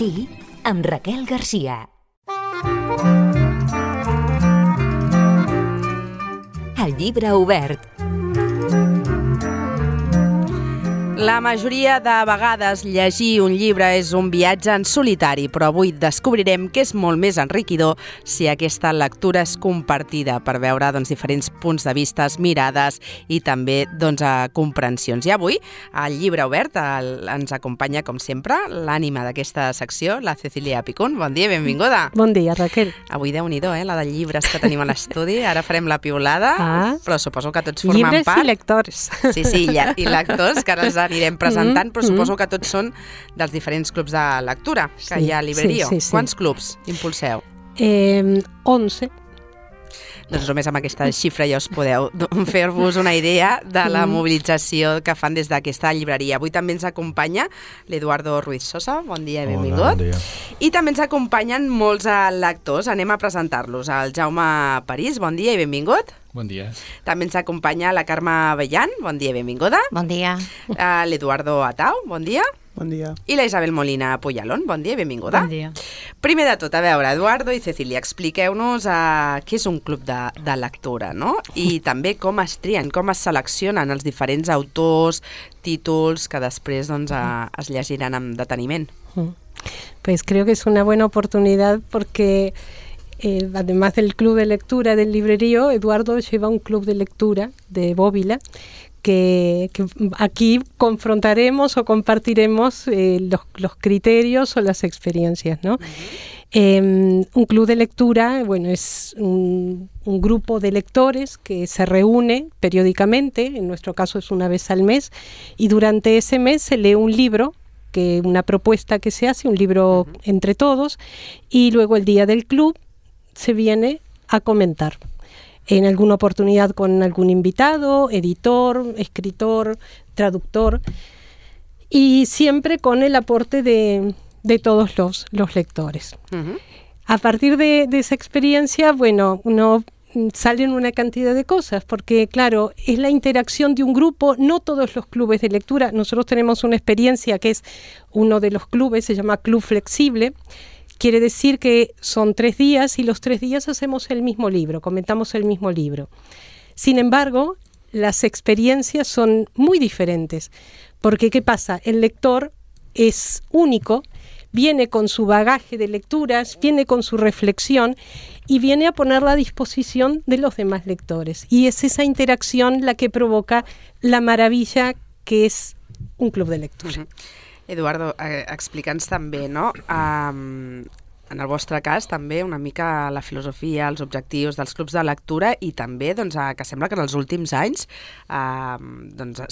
Matí amb Raquel Garcia. El llibre obert. La majoria de vegades llegir un llibre és un viatge en solitari, però avui descobrirem que és molt més enriquidor si aquesta lectura és compartida per veure diferents punts de vista, mirades i també comprensions. I avui, al llibre obert, ens acompanya, com sempre, l'ànima d'aquesta secció, la Cecília Picún. Bon dia, benvinguda. Bon dia, Raquel. Avui, Déu-n'hi-do, la de llibres que tenim a l'estudi. Ara farem la piulada, però suposo que tots formen llibres part. Llibres i lectors. Sí, i lectors, que ara els anirem presentant, però suposo que tots són dels diferents clubs de lectura que hi ha a Librerio. Sí. Quants clubs impulseu? 11. Doncs només amb aquesta xifra ja us podeu fer-vos una idea de la mobilització que fan des d'aquesta llibreria. Avui també ens acompanya l'Eduardo Ruiz Sosa. Bon dia i benvingut. Hola, bon dia. I també ens acompanyen molts lectors. Anem a presentar-los. El Jaume París, bon dia i benvingut. Bon dia. També ens acompanya la Carme Bellan. Bon dia i benvinguda. Bon dia. L'Eduardo Atau. Bon dia. Bon dia. I la Isabel Molina Puyalón. Bon dia i benvinguda. Bon dia. Primer de tot, a veure, Eduardo i Cecília, expliqueu-nos què és un club de lectura, no? I també com es trien, com es seleccionen els diferents autors, títols que després es llegiran amb deteniment. Pues creo que es una buena oportunidad porque además del club de lectura del Librerío, Eduardo lleva un club de lectura de Bóvila que aquí confrontaremos o compartiremos los criterios o las experiencias, ¿no? Un club de lectura, bueno, es un grupo de lectores que se reúne periódicamente, en nuestro caso es una vez al mes, y durante ese mes se lee un libro, una propuesta que se hace, un libro entre todos, y luego el día del club se viene a comentar. En alguna oportunidad con algún invitado, editor, escritor, traductor, y siempre con el aporte de todos los lectores. A partir de esa experiencia, bueno, salen una cantidad de cosas, porque claro, es la interacción de un grupo, no todos los clubes de lectura. Nosotros tenemos una experiencia que es uno de los clubes, se llama Club Flexible. Quiere decir que son 3 días y los 3 días hacemos el mismo libro, comentamos el mismo libro. Sin embargo, las experiencias son muy diferentes, porque ¿qué pasa? El lector es único, viene con su bagaje de lecturas, viene con su reflexión y viene a ponerla a disposición de los demás lectores. Y es esa interacción la que provoca la maravilla que es un club de lectura. Eduardo, explica'ns també, no? En el vostre cas, també una mica la filosofia, els objectius dels clubs de lectura i també que sembla que en els últims anys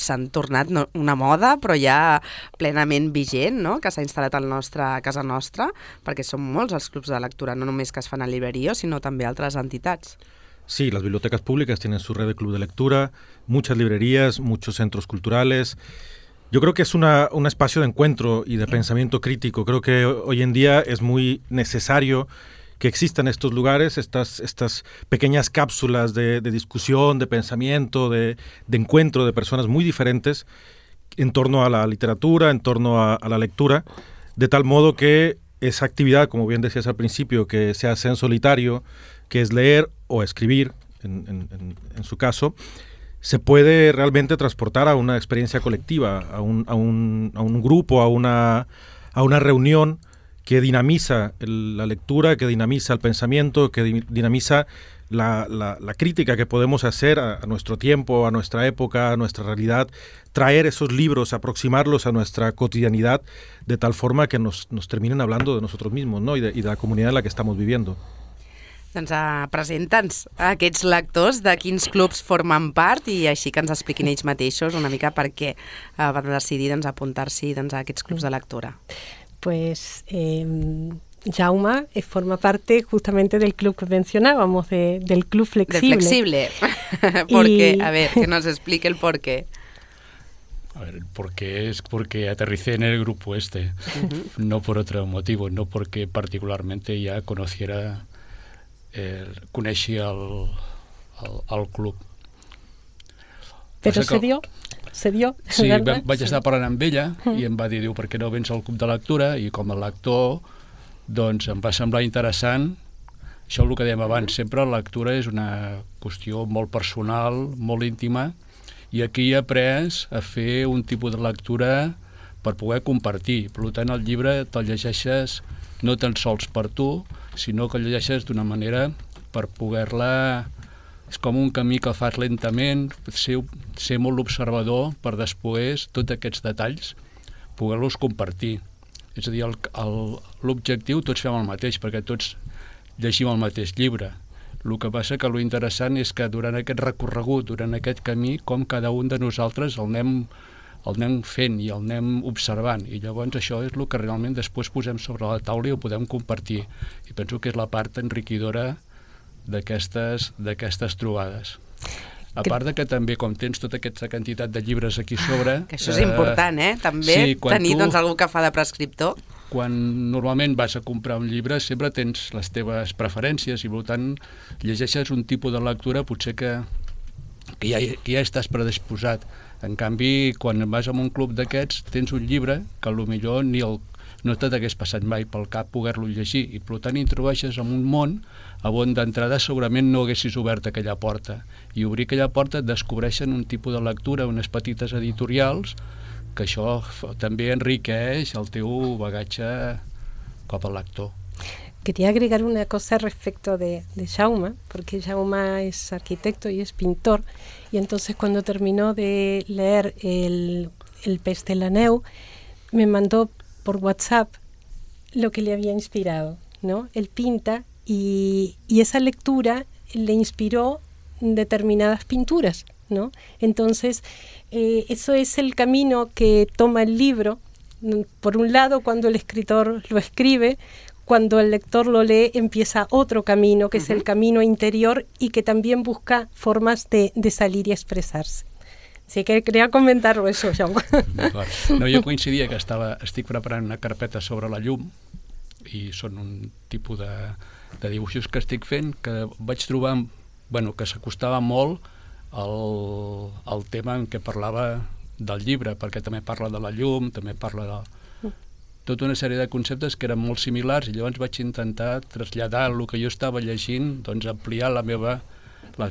s'han tornat una moda, però ja plenament vigent, no? Que s'ha instal·lat a casa nostra, perquè són molts els clubs de lectura, no només que es fan a Librerio, sinó també altres entitats. Sí, las bibliotecas públicas tienen su red de club de lectura, muchas librerías, muchos centros culturales. Yo creo que es un espacio de encuentro y de pensamiento crítico. Creo que hoy en día es muy necesario que existan estos lugares, estas pequeñas cápsulas de discusión, de pensamiento, de encuentro de personas muy diferentes en torno a la literatura, en torno a la lectura, de tal modo que esa actividad, como bien decías al principio, que se hace en solitario, que es leer o escribir, en su caso, se puede realmente transportar a una experiencia colectiva, a un grupo, a una reunión que dinamiza la lectura, que dinamiza el pensamiento, que dinamiza la crítica que podemos hacer a nuestro tiempo, a nuestra época, a nuestra realidad, traer esos libros, aproximarlos a nuestra cotidianidad de tal forma que nos terminen hablando de nosotros mismos, ¿no? y de la comunidad en la que estamos viviendo. Doncs presenta'ns aquests lectors, de quins clubs formen part i així que ens expliquin ells mateixos una mica per què van decidir apuntar-s'hi a aquests clubs de lectura. Pues Jaume forma parte justamente del club que mencionábamos, del Club Flexible. Del Flexible, porque, a ver, que nos explique el porqué. A ver, el porqué es porque aterricé en el grupo no por otro motivo, no porque particularmente ya coneixia el club. Però se dio? se dio. Sí, ¿verdad? vaig estar parlant amb ella i em va dir, diu, per què no vens al club de lectura? I com a lector, doncs em va semblar interessant. Això és el que dèiem abans, sempre la lectura és una qüestió molt personal, molt íntima, i aquí he après a fer un tipus de lectura per poder compartir. Per tant, el llibre te'l llegeixes no tan sols per tu, sinó que el llegeixes d'una manera per poder-la... És com un camí que fas lentament, ser molt observador per després, tots aquests detalls, poder-los compartir. És a dir, l'objectiu tots fem el mateix, perquè tots llegim el mateix llibre. El que passa que l'interessant és que durant aquest recorregut, durant aquest camí, com cada un de nosaltres el anem fent i el anem observant. I llavors això és el que realment després posem sobre la taula i ho podem compartir. I penso que és la part enriquidora d'aquestes trobades. A part de que també, com tens tota aquesta quantitat de llibres aquí sobre... Que això és important, també, tenir algú que fa de prescriptor. Quan normalment vas a comprar un llibre sempre tens les teves preferències i per tant llegeixes un tipus de lectura potser que ja estàs predisposat. En canvi, quan vas a un club d'aquests tens un llibre que potser no t'hagués passat mai pel cap poder-lo llegir i per tant introdueixes en un món on d'entrada segurament no haguessis obert aquella porta i obrir aquella porta et descobreixen un tipus de lectura, unes petites editorials que això també enriqueix el teu bagatge com a lector. Quería agregar una cosa respecto de Jaume, porque Jaume es arquitecto y es pintor, y entonces cuando terminó de leer el Pes de la Neu, me mandó por WhatsApp lo que le había inspirado, ¿no? Él pinta y esa lectura le inspiró determinadas pinturas, ¿no? Entonces, eso es el camino que toma el libro. Por un lado, cuando el escritor lo escribe, cuando el lector lo lee, empieza otro camino, que es el camino interior y que también busca formas de salir y expresarse. Así que quería comentar-ho, això, Jaume. No, jo coincidia que estic preparant una carpeta sobre la llum i són un tipus de dibuixos que estic fent que vaig trobar que s'acostava molt al tema en què parlava del llibre, perquè també parla de la llum, també parla de tota una sèrie de conceptes que eren molt similars i llavors vaig intentar traslladar el que jo estava llegint, doncs ampliar les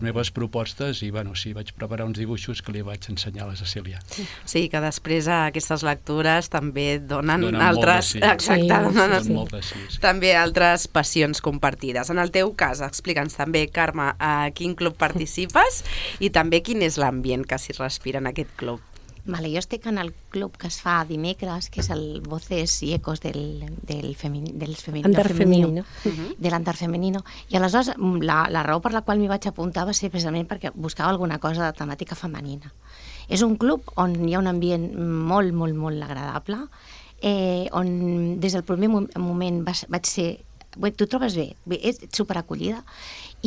meves propostes i vaig preparar uns dibuixos que li vaig ensenyar a la Cecília. Sí, que després aquestes lectures també donen altres... Donen també altres passions compartides. En el teu cas, explica'ns també, Carme, a quin club participes i també quin és l'ambient que s'hi respira en aquest club. Vale, jo estic en el club que es fa dimecres, que és el Voces i Ecos del Andar Femenino. De l'Andar Femenino. I aleshores la raó per la qual m'hi vaig apuntar va ser precisament perquè buscava alguna cosa de temàtica femenina. És un club on hi ha un ambient molt, molt, molt agradable, on des del primer moment vaig ser... Tu trobes bé, ets superacollida.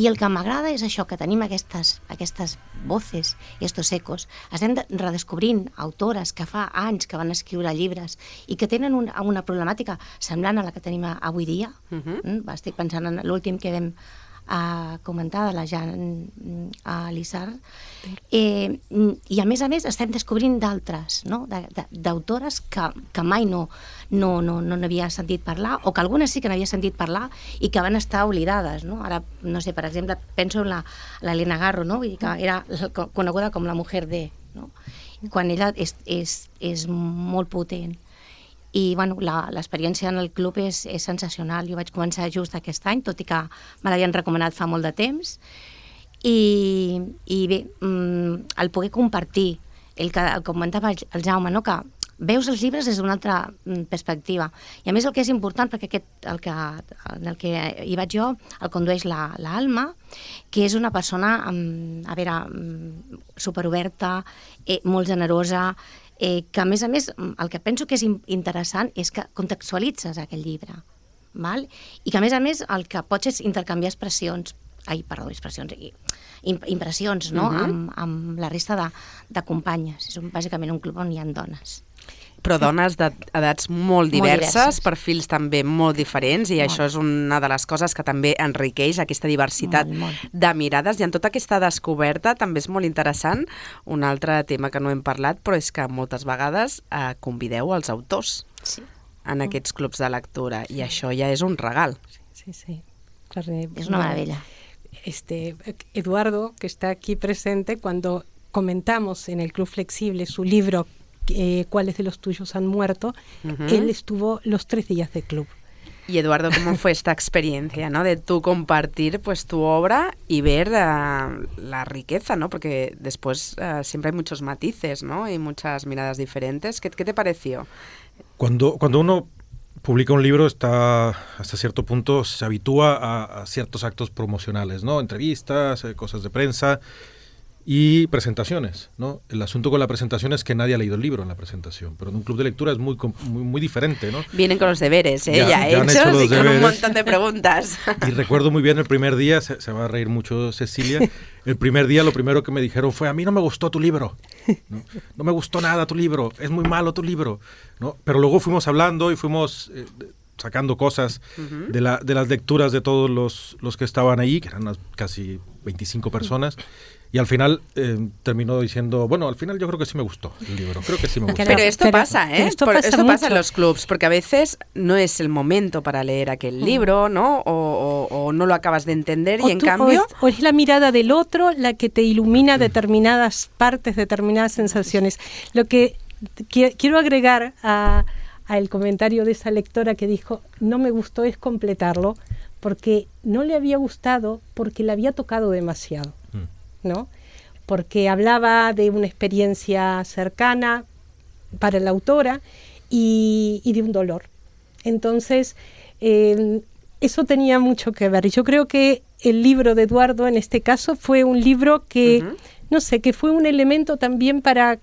I el que m'agrada és això, que tenim aquestes voces i estos ecos. Estem redescobrint autores que fa anys que van escriure llibres i que tenen una problemàtica semblant a la que tenim avui dia. Estic pensant en l'últim que vam comentar de la Jean Lissard. I a més estem descobrint d'altres, no? D'autores que mai no n'havia sentit parlar, o que algunes sí que n'havia sentit parlar i que van estar oblidades, no? Ara, no sé, per exemple, penso en l'Helena Garro, no? Vull dir que era coneguda com la mujer de, no? Quan ella és molt potent. I l'experiència en el club és sensacional. Jo vaig començar just aquest any, tot i que me l'havien recomanat fa molt de temps. I bé, el poder compartir, el que comentava el Jaume, no? Que veus els llibres des d'una altra perspectiva. I a més el que és important, perquè en el que hi vaig jo, el condueix l'Alma, que és una persona, superoberta, molt generosa, que a més el que penso que és interessant és que contextualitzes aquell llibre, val? I que a més el que pots és intercanviar impressions, no? Amb la resta de companyes. És bàsicament un club on hi ha dones. Però dones d'edats molt diverses, diverses. perfils també molt diferents, i això és una de les coses que també enriqueix aquesta diversitat de mirades, i en tota aquesta descoberta també és molt interessant un altre tema que no hem parlat, però és que moltes vegades convideu els autors en aquests clubs de lectura, i això ja és un regal. Sí. Es una maravilla. Eduardo, que está aquí presente, cuando comentamos en el Club Flexible su libro ¿Cuáles de los tuyos han muerto? Él estuvo los 3 días de club. Y Eduardo, ¿cómo fue esta experiencia, ¿no? De tú compartir pues tu obra y ver la riqueza, ¿no? Porque después siempre hay muchos matices, ¿no? Y muchas miradas diferentes. ¿Qué te pareció? Cuando uno publica un libro, está hasta cierto punto, se habitúa a ciertos actos promocionales, ¿no? Entrevistas, cosas de prensa y presentaciones, ¿no? El asunto con la presentación es que nadie ha leído el libro en la presentación, pero en un club de lectura es muy diferente, ¿no? Vienen con los deberes, ya hechos han hecho los y con deberes. un montón de preguntas. Y recuerdo muy bien el primer día, se va a reír mucho Cecilia, el primer día lo primero que me dijeron fue: a mí no me gustó tu libro, no me gustó nada tu libro, es muy malo tu libro, ¿no? Pero luego fuimos hablando y fuimos sacando cosas de las lecturas de todos los que estaban ahí, que eran casi 25 personas. Y al final terminó diciendo, bueno, al final yo creo que sí me gustó el libro, creo que sí me gustó. Pero esto pasa, ¿eh? Esto pasa en los clubs, porque a veces no es el momento para leer aquel libro, ¿no? O no lo acabas de entender, y en cambio... O es la mirada del otro la que te ilumina determinadas partes, determinadas sensaciones. Lo que quiero agregar al comentario de esa lectora que dijo, no me gustó, es completarlo, porque no le había gustado, porque le había tocado demasiado, ¿no? Porque hablaba de una experiencia cercana para la autora y de un dolor. Entonces, eso tenía mucho que ver. Y yo creo que el libro de Eduardo, en este caso, fue un libro que, no sé, que fue un elemento también para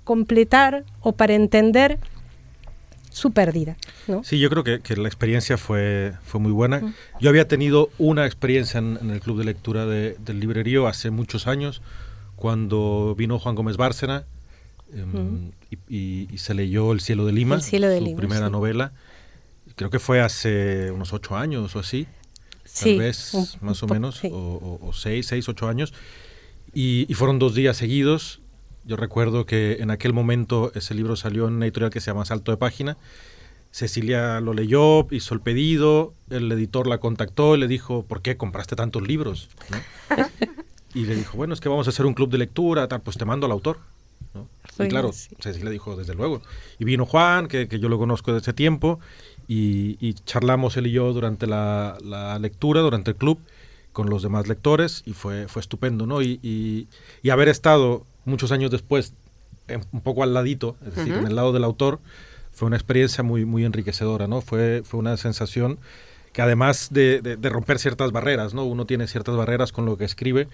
completar o para entender su pérdida, ¿no? Sí, yo creo que la experiencia fue muy buena. Yo había tenido una experiencia en el club de lectura del librerío hace muchos años, cuando vino Juan Gómez Bárcena y se leyó El cielo de Lima, su primera novela. Creo que fue hace unos 8 años o así, tal vez, más o menos, o 6, 8 años. Y fueron 2 días seguidos. Yo recuerdo que en aquel momento ese libro salió en una editorial que se llama Salto de Página. Cecilia lo leyó, hizo el pedido, el editor la contactó y le dijo, ¿por qué compraste tantos libros? ¿No? Y le dijo, bueno, es que vamos a hacer un club de lectura, tal, pues te mando al autor, ¿no? Y claro, Cecilia dijo, desde luego. Y vino Juan, que yo lo conozco desde ese tiempo, y charlamos él y yo durante la lectura, durante el club, con los demás lectores, y fue estupendo, ¿no? Y haber estado muchos años después un poco al ladito, es decir, en el lado del autor, fue una experiencia muy enriquecedora, ¿no? Fue una sensación que, además de romper ciertas barreras, ¿no? Uno tiene ciertas barreras con lo que escribe,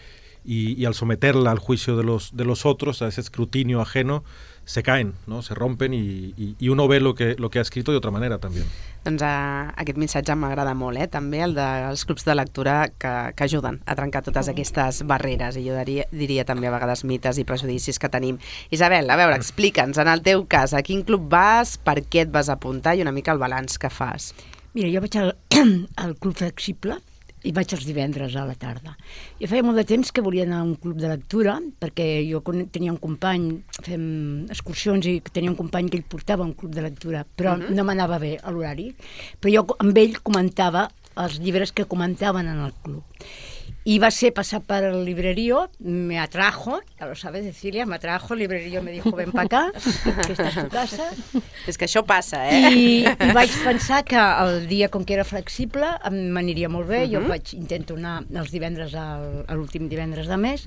y al someterla al juicio de los otros, a ese escrutinio ajeno, se caen, ¿no? Se rompen, y uno ve lo que ha escrito de otra manera també. Doncs aquest missatge m'agrada molt, també, el dels clubs de lectura que ajuden a trencar totes aquestes barreres, i jo diria també a vegades mites i prejudicis que tenim. Isabel, a veure, explica'ns, en el teu cas, a quin club vas, per què et vas apuntar, i una mica el balanç que fas. Mira, jo vaig al Club Flexible, i vaig els divendres a la tarda. Jo feia molt de temps que volia anar a un club de lectura, perquè jo tenia un company, fem excursions, i tenia un company que ell portava un club de lectura, però no m'anava bé a l'horari. Però jo amb ell comentava els llibres que comentaven en el club. Y va a ser pasar para el librerío, me atrajo, ya lo sabes, Cecilia, me atrajo, el librerío me dijo, ven para acá, que esta és tu casa. És que això passa, eh? I vaig pensar que el dia, com que era flexible, m'aniria molt bé. Jo intento anar els divendres, a l'últim divendres de mes,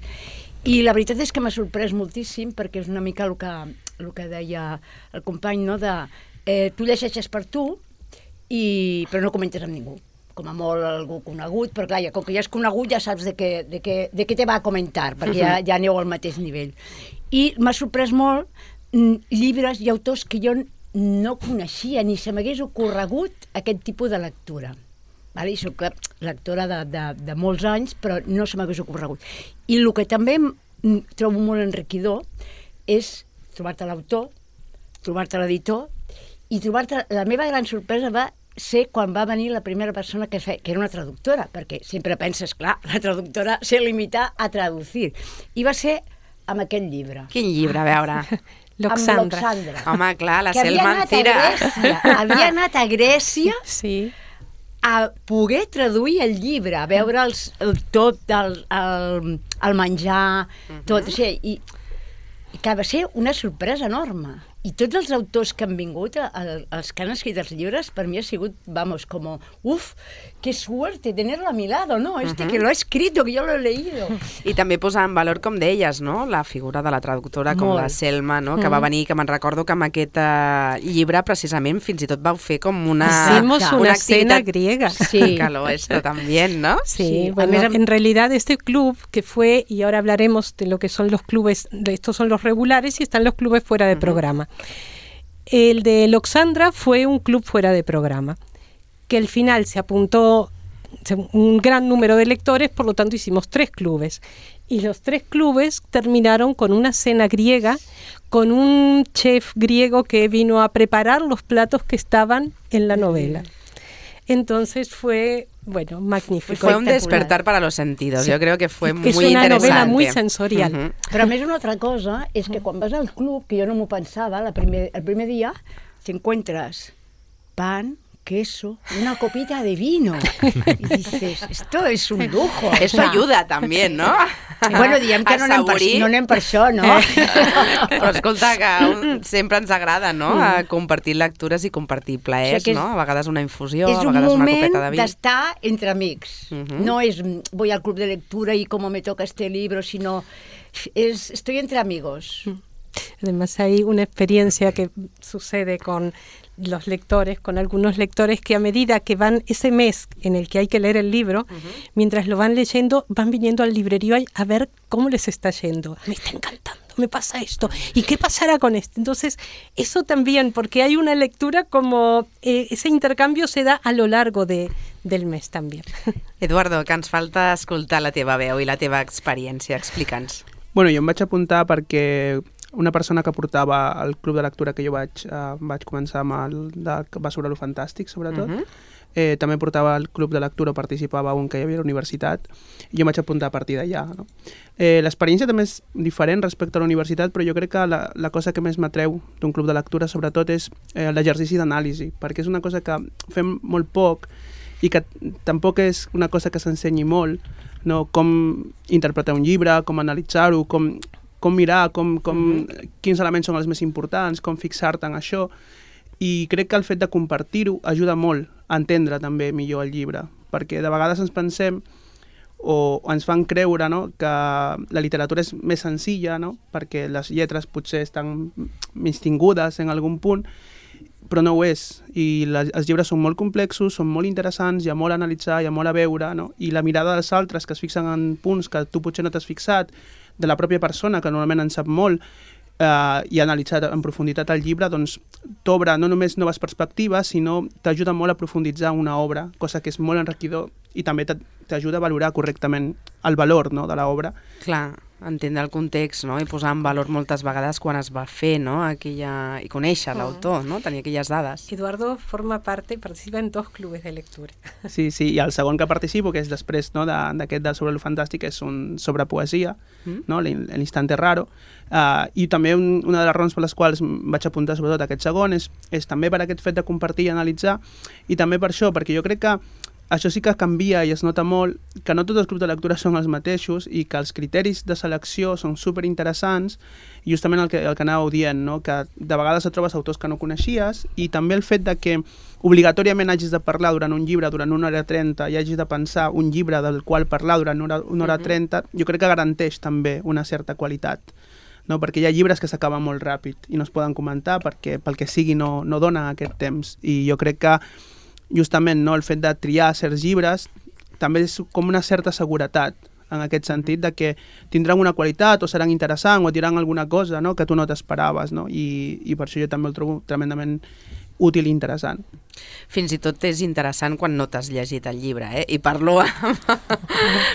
i la veritat és que m'ha sorprès moltíssim, perquè és una mica el que deia el company, no? Tu llegeixes per tu, però no comentes amb ningú, com a molt algú conegut, però clar, com que ja és conegut ja saps de què te va a comentar, perquè ja aneu al mateix nivell. I m'ha sorprès molt llibres i autors que jo no coneixia, ni se m'hagués ocorregut aquest tipus de lectura. I soc lectora de molts anys, però no se m'hagués ocorregut. I el que també trobo molt enriquidor és trobar-te l'autor, trobar-te l'editor i trobar-te... La meva gran sorpresa va ser quan va venir la primera persona que era una traductora, perquè sempre penses, clar, la traductora se limita a traducir. I va ser amb aquest llibre. Quin llibre, a veure? L'Oxandra. Amb l'Oxandra. Home, clar, la Que Selma Cira. havia anat a Grècia Sí. a poder traduir el llibre, a veure tot el menjar, tot això, i que va ser una sorpresa enorme. I tots els autors que han vingut, els que han escrit els llibres, per mi ha sigut, vamos, como, qué suerte tenerlo a mi lado, ¿no? Que lo ha escrito, que yo lo he leído. I també posar en valor, com deies, no? La figura de la traductora com la Selma, no? Que va venir, que me'n recordo que amb aquest llibre precisament fins i tot vau fer com Hicimos una cena activitat griega. Sí. que lo esto también, ¿no? Sí, bueno, en realidad este club que fue, y ahora hablaremos de lo que son los clubes, estos son los regulares y están los clubes fuera de programa. El de L'Oxandra fue un club fuera de programa, que al final se apuntó un gran número de lectores, por lo tanto hicimos 3 clubes. Y los 3 clubes terminaron con una cena griega, con un chef griego que vino a preparar los platos que estaban en la novela. Entonces fue, bueno, magnífico. Fue un despertar para los sentidos. Sí. Yo creo que fue muy Es interesante. una novela muy sensorial. Però a més una altra cosa és que quan vas al club, que jo no m'ho pensava, el primer dia, te encuentras pan, queso, una copita de vino. Y dices, esto es un lujo. Eso ayuda también, ¿no? Bueno, diem que no anem per això, no? Però escolta, que sempre ens agrada, no? A compartir lectures i compartir plaers, que no? A vegades una infusió, és a vegades una copeta de un moment vi. d'estar entre amics. No es voy al club de lectura y como me toca este libro, sino estoy entre amigos. Además hay una experiencia que sucede con los lectores, con algunos lectores que a medida que van ese mes en el que hay que leer el libro, mientras lo van leyendo, van viniendo al librerío a ver cómo les está yendo. Me está encantando, me pasa esto. ¿Y qué pasará con esto? Entonces, eso también, porque hay una lectura como ese intercambio se da a lo largo del mes también. Eduardo, que ens falta escoltar la teva veu i la teva experiència. Explica'ns. Bueno, jo em vaig apuntar perquè una persona que portava al club de lectura que jo vaig començar amb que va sobre lo fantàstic, sobretot, també portava el club de lectura, participava un que hi havia a la universitat, i jo em vaig apuntar a partir d'allà. No? L'experiència també és diferent respecte a la universitat, però jo crec que la cosa que més m'atreu d'un club de lectura, sobretot, és l'exercici d'anàlisi, perquè és una cosa que fem molt poc i que tampoc és una cosa que s'ensenyi molt, no? Com interpretar un llibre, com analitzar-ho, com mirar, quins elements són els més importants, com fixar-te en això. I crec que el fet de compartir-ho ajuda molt a entendre també millor el llibre, perquè de vegades ens pensem o ens fan creure, no?, que la literatura és més senzilla, no?, perquè les lletres potser estan menystingudes en algun punt, però no ho és. I els llibres són molt complexos, són molt interessants, hi ha molt a analitzar, hi ha molt a veure, no? I la mirada dels altres que es fixen en punts que tu potser no t'has fixat, de la pròpia persona, que normalment en sap molt, i analitzar en profunditat el llibre, doncs t'obre no només noves perspectives, sinó t'ajuda molt a profunditzar una obra, cosa que és molt enriquidor i també t'ajuda a valorar correctament el valor, no?, de l'obra. Clar, entendre el context, no?, i posar en valor moltes vegades quan es va fer, no?, i conèixer l'autor, no?, tenir aquelles dades. Eduardo participa en 2 clubes de lectura. Sí, i el segon que participo, que és després, no, d'aquest sobre lo fantàstic, és un sobre poesia, no?, l'instante raro, i també una de les raons per les quals vaig apuntar sobretot aquest segon és també per aquest fet de compartir i analitzar, i també per això, perquè jo crec que això sí que canvia i es nota molt, que no tots els grups de lectura són els mateixos i que els criteris de selecció són superinteressants, i justament el que anàveu dient, no? Que de vegades et trobes autors que no coneixies, i també el fet de que obligatòriament hagis de parlar durant un llibre durant 1 hora 30 i hagis de pensar un llibre del qual parlar durant 1 hora 30, jo crec que garanteix també una certa qualitat. No? Perquè hi ha llibres que s'acaben molt ràpid i no es poden comentar perquè pel que sigui no dona aquest temps, i jo crec que justament, no, el fet de triar certs llibres també és com una certa seguretat en aquest sentit de que tindran una qualitat o seran interessants o diran alguna cosa, no?, que tu no t'esperaves, no? I per això jo també el trobo tremendament útil i interessant. Fins i tot és interessant quan no t'has llegit el llibre, I parlo amb...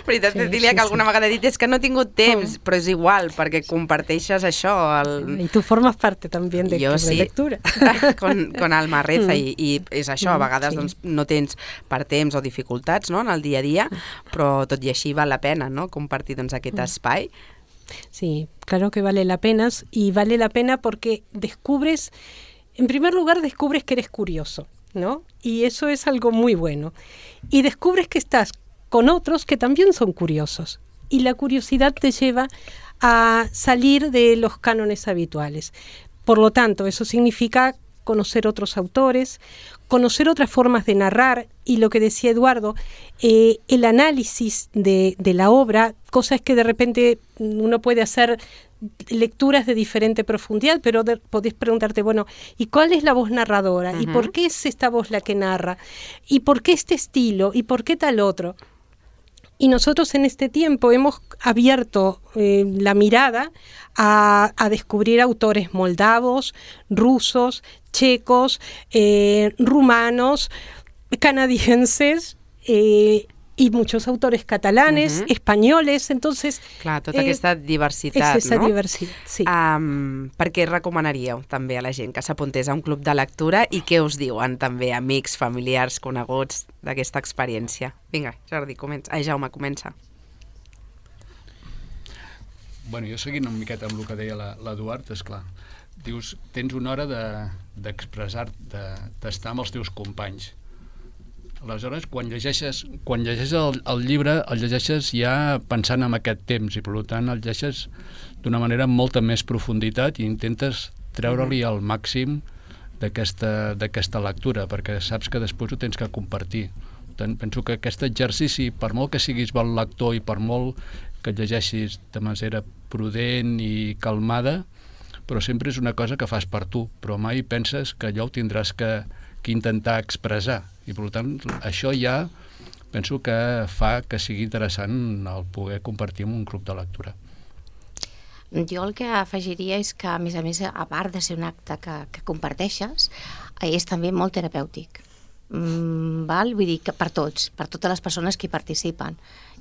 veritat, Cecília, que alguna vegada he dit és que no he tingut temps, però és igual, perquè comparteixes això. Y tú formas parte también del club de lectura. con Alma Reza, i és això, a vegades doncs, no tens per temps o dificultats, no?, en el dia a dia, però tot i així val la pena, no?, compartir doncs, aquest espai. Sí, claro que vale la pena, y vale la pena porque descubres, en primer lugar descubres que eres curioso, ¿no? Y eso es algo muy bueno. Y descubres que estás con otros que también son curiosos. Y la curiosidad te lleva a salir de los cánones habituales. Por lo tanto, eso significa conocer otros autores, conocer otras formas de narrar, y lo que decía Eduardo, el análisis de la obra, cosas que de repente uno puede hacer lecturas de diferente profundidad, pero podés preguntarte, bueno, ¿y cuál es la voz narradora? ¿Y por qué es esta voz la que narra? ¿Y por qué este estilo? ¿Y por qué tal otro? Y nosotros en este tiempo hemos abierto la mirada a descubrir autores moldavos, rusos, checos, rumanos, canadienses, y muchos autores catalanes, españoles, entonces... Clar, tota aquesta diversitat, és esa no? diversitat, sí. Per què recomanaríeu també a la gent que s'apuntés a un club de lectura i què us diuen també amics, familiars, coneguts d'aquesta experiència? Vinga, Jordi, comença. Jaume, comença. Bueno, jo seguint una miqueta amb el que deia l'Eduard, esclar, dius, tens una hora d'expressar, d'estar amb els teus companys. Aleshores, quan llegeixes el llibre, el llegeixes ja pensant en aquest temps, i per tant el llegeixes d'una manera amb molta més profunditat i intentes treure-li el màxim d'aquesta lectura, perquè saps que després ho tens que compartir. Penso que aquest exercici, per molt que siguis bon lector i per molt que et llegeixis de manera prudent i calmada, però sempre és una cosa que fas per tu, però mai penses que allò ho tindràs que intentar expressar, i per tant això ja penso que fa que sigui interessant el poder compartir en un club de lectura. Jo el que afegiria és que, a més, a part de ser un acte que comparteixes, és també molt terapèutic. Vull dir que per tots, per totes les persones que hi participen.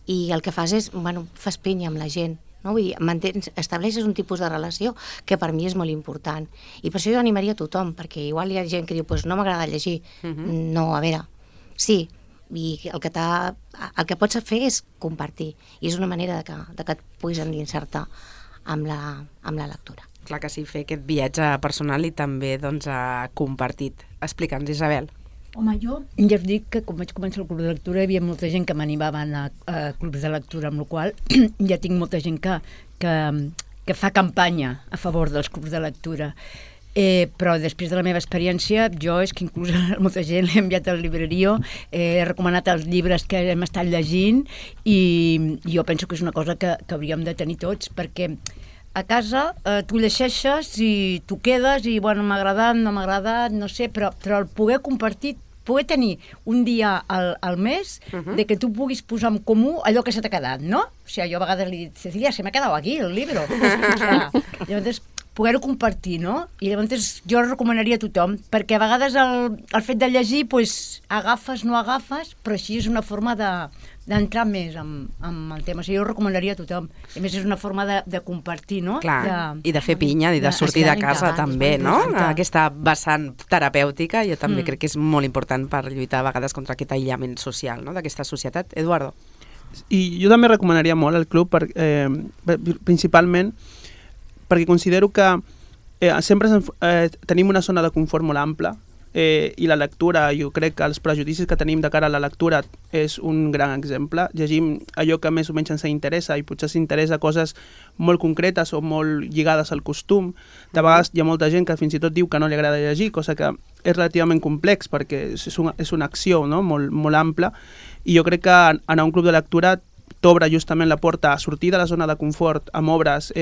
I el que fas és, fas pinya amb la gent, no? Vull dir, estableixes un tipus de relació que per mi és molt important. I per això jo animaria a tothom, perquè igual hi ha gent que diu, no m'agrada llegir. No, a veure, sí, i el que pots fer és compartir, i és una manera de que et puguis endinsar-te amb la lectura. Clar que sí, fer aquest viatge personal i també compartit. Explica'ns, Isabel. Home, jo ja us dic que quan vaig començar el club de lectura hi havia molta gent que m'animava a anar a clubs de lectura, amb la qual ja tinc molta gent que fa campanya a favor dels clubs de lectura. Però després de la meva experiència, jo és que inclús a molta gent l'he enviat al Librerio, he recomanat els llibres que hem estat llegint, i jo penso que és una cosa que hauríem de tenir tots, perquè a casa tu llegeixes i tu quedes i, m'ha agradat, no m'ha agradat, no sé, però el poder compartir, poder tenir un dia al mes de que tu puguis posar en comú allò que se t'ha quedat, no? O sigui, jo a vegades li dic, Cecilia, se m'ha quedat aquí el llibre. O sigui, llavors, poder-ho compartir, no? I llavors jo recomanaria a tothom, perquè a vegades el fet de llegir, agafes, no agafes, però així és una forma d'entrar més amb el tema. O sigui, jo ho recomanaria a tothom. A més, és una forma de compartir, no? Clar, i de fer pinya, i de sortir de casa també, no? Aquesta vessant terapèutica jo també crec que és molt important per lluitar a vegades contra aquest aïllament social, no?, d'aquesta societat. Eduardo? I jo també recomanaria molt el club, principalment perquè considero que sempre tenim una zona de confort molt ampla, i la lectura, jo crec que els prejudicis que tenim de cara a la lectura és un gran exemple. Llegim allò que més o menys ens interessa, i potser s'interessa coses molt concretes o molt lligades al costum. De vegades hi ha molta gent que fins i tot diu que no li agrada llegir, cosa que és relativament complex perquè és una acció, no?, molt ampla, i jo crec que anar a un club de lectura t'obre justament la porta a sortir de la zona de confort amb obres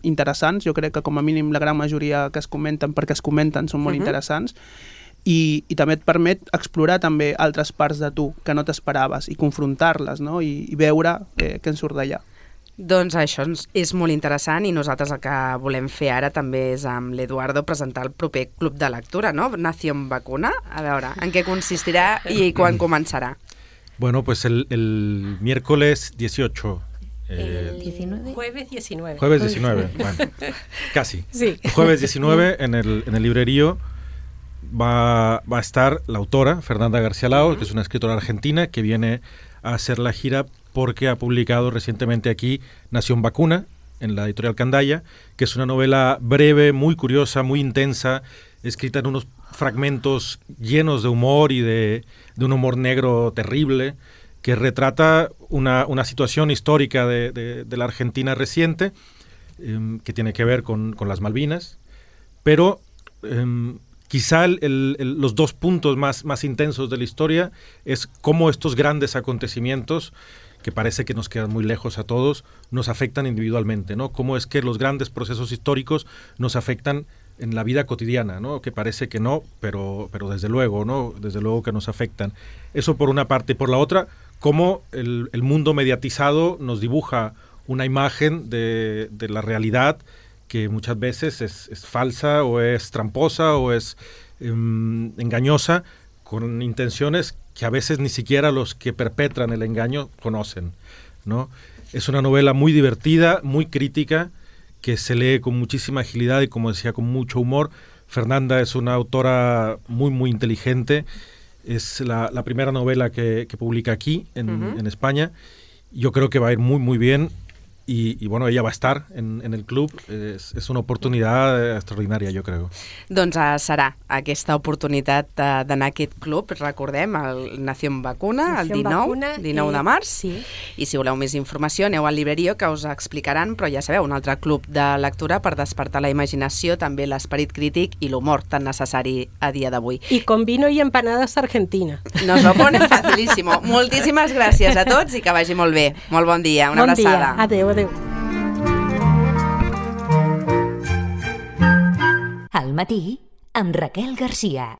interessants. Jo crec que com a mínim la gran majoria que es comenten, perquè es comenten, són molt interessants, i també et permet explorar també altres parts de tu que no t'esperaves i confrontar-les, no?, i veure què en surt d'allà. Doncs això és molt interessant i nosaltres el que volem fer ara també és amb l'Eduardo presentar el proper club de lectura, no? Nación Vacuna. A veure, en què consistirà i quan començarà? Bueno, pues el miércoles 18. El 19. Jueves 19. Jueves 19, bueno, casi. Sí. Jueves 19 en el librerío va a estar la autora, Fernanda García Lao, que es una escritora argentina que viene a hacer la gira porque ha publicado recientemente aquí Nación Vacuna, en la editorial Candaya, que es una novela breve, muy curiosa, muy intensa, escrita en unos fragmentos llenos de humor y de un humor negro terrible, que retrata una situación histórica de la Argentina reciente, que tiene que ver con las Malvinas, pero quizá los dos puntos más intensos de la historia es cómo estos grandes acontecimientos, que parece que nos quedan muy lejos a todos, nos afectan individualmente, ¿no? Cómo es que los grandes procesos históricos nos afectan en la vida cotidiana, ¿no? Que parece que no, pero desde luego, ¿no? Desde luego que nos afectan. Eso por una parte. Y por la otra, cómo el mundo mediatizado nos dibuja una imagen de la realidad que muchas veces es falsa o es tramposa o es engañosa, con intenciones que a veces ni siquiera los que perpetran el engaño conocen, ¿no? Es una novela muy divertida, muy crítica, que se lee con muchísima agilidad y, como decía, con mucho humor. Fernanda es una autora muy, muy inteligente. Es la primera novela que publica aquí, en España. Yo creo que va a ir muy, muy bien. Y bueno, ella va a estar en el club. És una oportunitat extraordinària, jo crec. Doncs serà aquesta oportunitat d'anar a aquest club, recordem, el Nación Vacuna, el 19 de març. Sí. I si voleu més informació, aneu al Librerío, que us explicaran, però ja sabeu, un altre club de lectura per despertar la imaginació, també l'esperit crític i l'humor tan necessari a dia d'avui. Y con vino y empanadas argentinas. Nos lo ponen facilísimo. Moltíssimes gràcies a tots i que vagi molt bé. Molt bon dia, una abraçada. Bon dia, adeu, adeu. Al matí, amb Raquel Garcia.